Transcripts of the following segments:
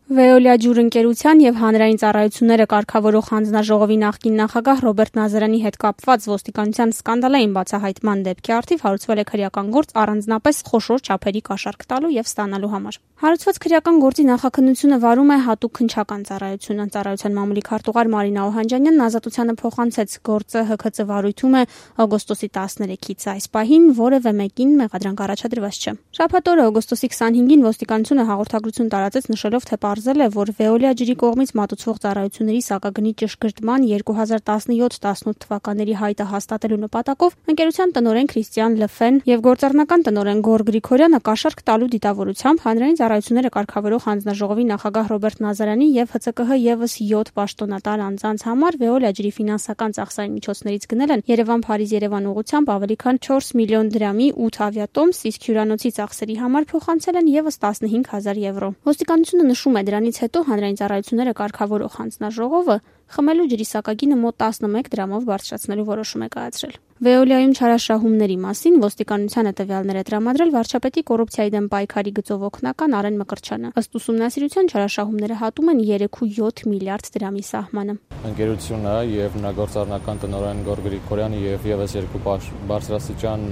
Veolia ջուր ընկերության եւ հանրային ծառայությունները կարգավորող հանձնաժողովի նախկին նախագահ Ռոբերտ Նազարյանի հետ կապված ոստիկանության սկանդալային բացահայտման դեպքի առթիվ հարուցվել է քրեական գործ առանձնապես խոշոր չափերի կաշառք տալու եւ ստանալու համար։ Հարուցված քրեական գործի նախաքննությունը վարում է հատուկ քննչական ծառայությունը։ Ծառայության մամուլի քարտուղար Մարինա Օհանջանյանն ազատությանը փոխանցեց գործը ՀՔԾ վարույթում է օգոստոսի 13-ից այս պահին որևէ մեկին մեղադրանք առաջադրված չէ։ Շաբաթ օրը օգոստոսի 25-ին ոստիկանությունը հաղորդագրություն տարածեց նշելով, թե պարզել է, որ Veolia ջրի կողմից մատուցվող ծառայությունների սակագնի ճշգրտման 2017-18 թվականների հայտը հաստատելու նպատակով ընկերության տնօրեն Քրիստիան Լըֆեն եւ գործառնական տնօրեն Գոր Գրիգորյանը կաշառք տալու դիտավորությամբ հանրային ծառայությունները կարգավորող հանձնաժողովի նախագահ Ռոբերտ Նազարյանի եւ ՀՑԿՀ եւս 7 պաշտոնատար անձանց համար Veolia ջրի ֆինանսական ծախսային միջոցներից գնել են Երևան-Փարիզ-Երևան ուղղությամբ ավելի քան 4 միլիոն դրամի 8 ավիատոմս, իսկ հյուրանոցի ծախսերի համար փոխանցել են եւս 15,000 եվրո։ Ոստիկանությունը նշում է, դրանից հետո հանրային ծառայությունները կարգավորող հանձնաժողովը խմելու ջրի սակագինը մոտ 11 դրամով բարձրացնելու որոշում է կայացրել։ Veolia-ում չարաշահումների մասին ոստիկանությանը տվյալներ է տրամադրել վարչապետի կոռուպցիայի դեմ պայքարի գծով օգնական Արեն Մկրտչյանը։ Ըստ ուսումնասիրության չարաշահումները հատում են 3.7 միլիարդ դրամի սահմանը։ Ընկերությունը եւ նրա գործառնական տնօրեն Գոր Գրիգորյանը եւ եւս երկու բարձրաստիճան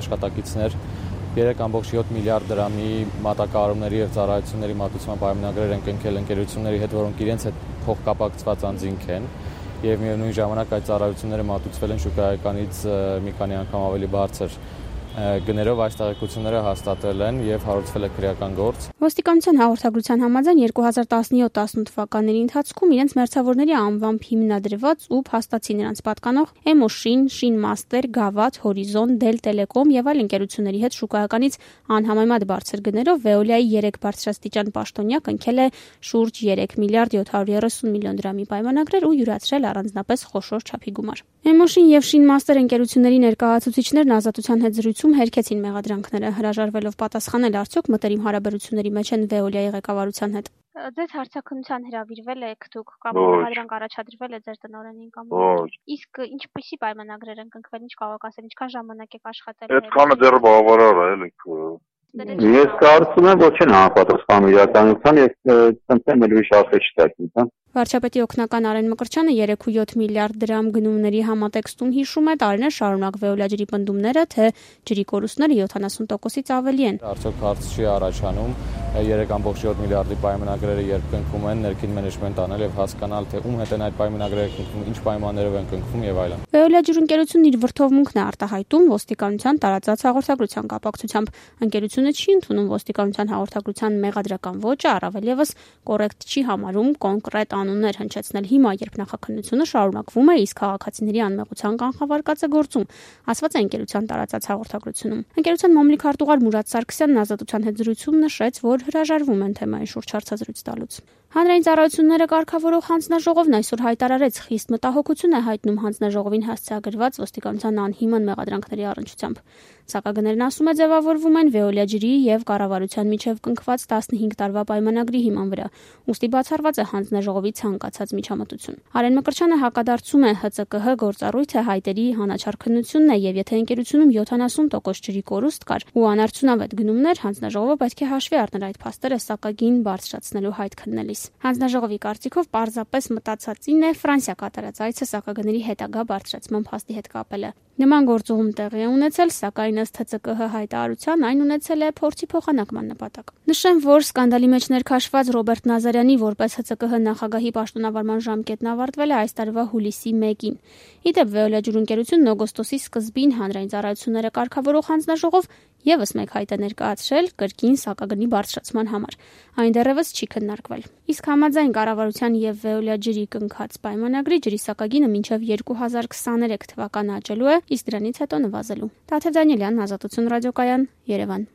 աշխատակիցներ 3.7 միլիարդ դրամի մատակարարումների եւ ծառայությունների մատուցման պայմանագրեր են կնքել ընկերությունների հետ, որոնք իրենց հետ փոխկապակցված անձինք են եւ միևնույն ժամանակ այդ ծառայությունները մատուցվել են շուկայականից մի քանի անգամ ավելի բարձր գներով այս տեղեկությունները հաստատվել են եւ հարուցվել է քրեական գործ։ Ոստիկանության հաղորդագրության համաձայն 2017-18 թվականների ընթացքում իրենց մերձավորների անվամբ հիմնադրված ու փաստացի նրանց պատկանող Էմոշին, Շինմաստեր, Գավաթ, Հորիզոն, Դել Տելեկոմ եւ այլ ընկերությունների հետ շուկայականից անհամեմատ բարձր գներով Veolia-ի 3 բարձրաստիճան պաշտոնյա կնքել է շուրջ 3 միլիարդ 730 միլիոն դրամի պայմանագրեր ու յուրացրել առանձնապես խոշոր չափի գումար։ Էմոշին եւ Շինմաստեր ընկերությունների ներկայացուցիչներն ազատության հետ զրույցում հերքեցին մեղադրանքները, հրաժարվելով պատասխանել արդյոք մտերիմ հարաբերությունների մեջ են Veolia-ի ղեկավարության հետ։ Ձեզ հարցաքննության հրավիրվել եք դուք կամ մեղադրանք առաջադրվել է ձեր տնօրենին կամ իսկ ինչպիսի պայմանագրեր են կնքվել, ինչ կարող ասել, ինչքան ժամանակ եք աշխատել։ Այդքանը դեռ բավարար է, էլի։ Ես կարծում եմ, որ չեն համապատասխանում իրականության եւ ցնցեմ ուրիշ ասել չտակին։ Վարչապետի օգնական Արեն Մկրտչյանը 3.7 միլիարդ դրամ գնումների համատեքստում հիշում է տարիներ շարունակ Veolia ջրի պնդումները, թե ջրի կորուստները 70%-ից ավելի են։ Արդյոք հարց չի առաջանում 3.7 միլիարդի պայմանագրերը երբ կնքում են, ներքին մենեջմենտ անել եւ հասկանալ, թե ում հետ են այդ պայմանագրերը կնքում, ինչ պայմաններով են կնքում եւ այլն։ Veolia ջրընկերությունն իր վրթովմունքն է արտահայտում ոստիկանության տարածած հաղորդագրության կապակցությամբ։ Ընկերությունը չի ընդունում ոստիկանության հաղորդագրության մեղադրական ոճը, առավել եւս կոռեկտ չի համարում կոնկրետ անուններ հնչեցնել հիմա, երբ նախաքննությունը շարունակվում է, իսկ քաղաքացիների անմեղության կանխավարկածը գործում, ասված է ընկերության տարածած հաղորդագրությունում։ Ընկերության մամուլի քարտուղար Մուրադ Սարգսյանն ազատության հետ զրույցում նշեց, որ հրաժարվում են թեմայի շուրջ հարցազրույց տալուց։ Հանրային ծառայությունները կարգավորող հանձնաժողովն այսօր հայտարարեց խիստ մտահոգություն է հայտնում հանձնաժողովին հասցեագրված ոստիկանության անհիմն մեղադրանքների առնչությամբ։ Սակագներն ասում է ձևավորվում են Veolia ջրի եւ կառավարության միջև կնքված 15 տարվա պայմանագրի հիման վրա, ուստի բացառված է հանձնաժողովի ցանկացած միջամտություն։ Արեն Մկրտչյանը հակադարձում է ՀՑԿՀ գործառույթը հայտերի հանաչար քննությունն է եւ եթե ընկերությունում 70% ջրի կորուստ կար ու անարդյունավետ գնումներ, հանձնաժողովը պետք է հաշվի առներ այդ փաստերը սակագին բարձրացնելու հայտ քննելիս։ Հանձնաժողովի կարծիքով պարզապես մտածածին է Ֆրանսիա կատարած այցը սակագների հետագա բարձրացման փաստի հետ կապելը։ Նման գործողում տեղի է ունեցել, սակայն ըստ ՀՑԿՀ հայտարարության այն ունեցել է փորձի փոխանակման նպատակ։ Նշեմ, որ սկանդալի մեջ ներքաշված Ռոբերտ Նազարյանի որպես ՀՑԿՀ նախագահի պաշտոնավարման ժամկետն ավարտվել է այս տարվա հուլիսի 1-ին։ Իդեպ Veolia ջրընկերությունն օգոստոսի սկզբին հանրային ծառայությունները կարգավորող հանձնաժողով եւս մեկ հայտ է ներկայացրել կրկին սակագնի բարձրացման համար։ Այն դեռևս չի քննարկվել։ Իսկ համաձայն կառավարության եւ Veolia ջրի կնքած պայմանագրի ջրի սակագինը մինչեւ 2023 թվականը աճելու է, իսկ դրանից հետո նվազելու։ Տաթև Դանիելյան, Ազատություն ռադիոկայան, Երևան։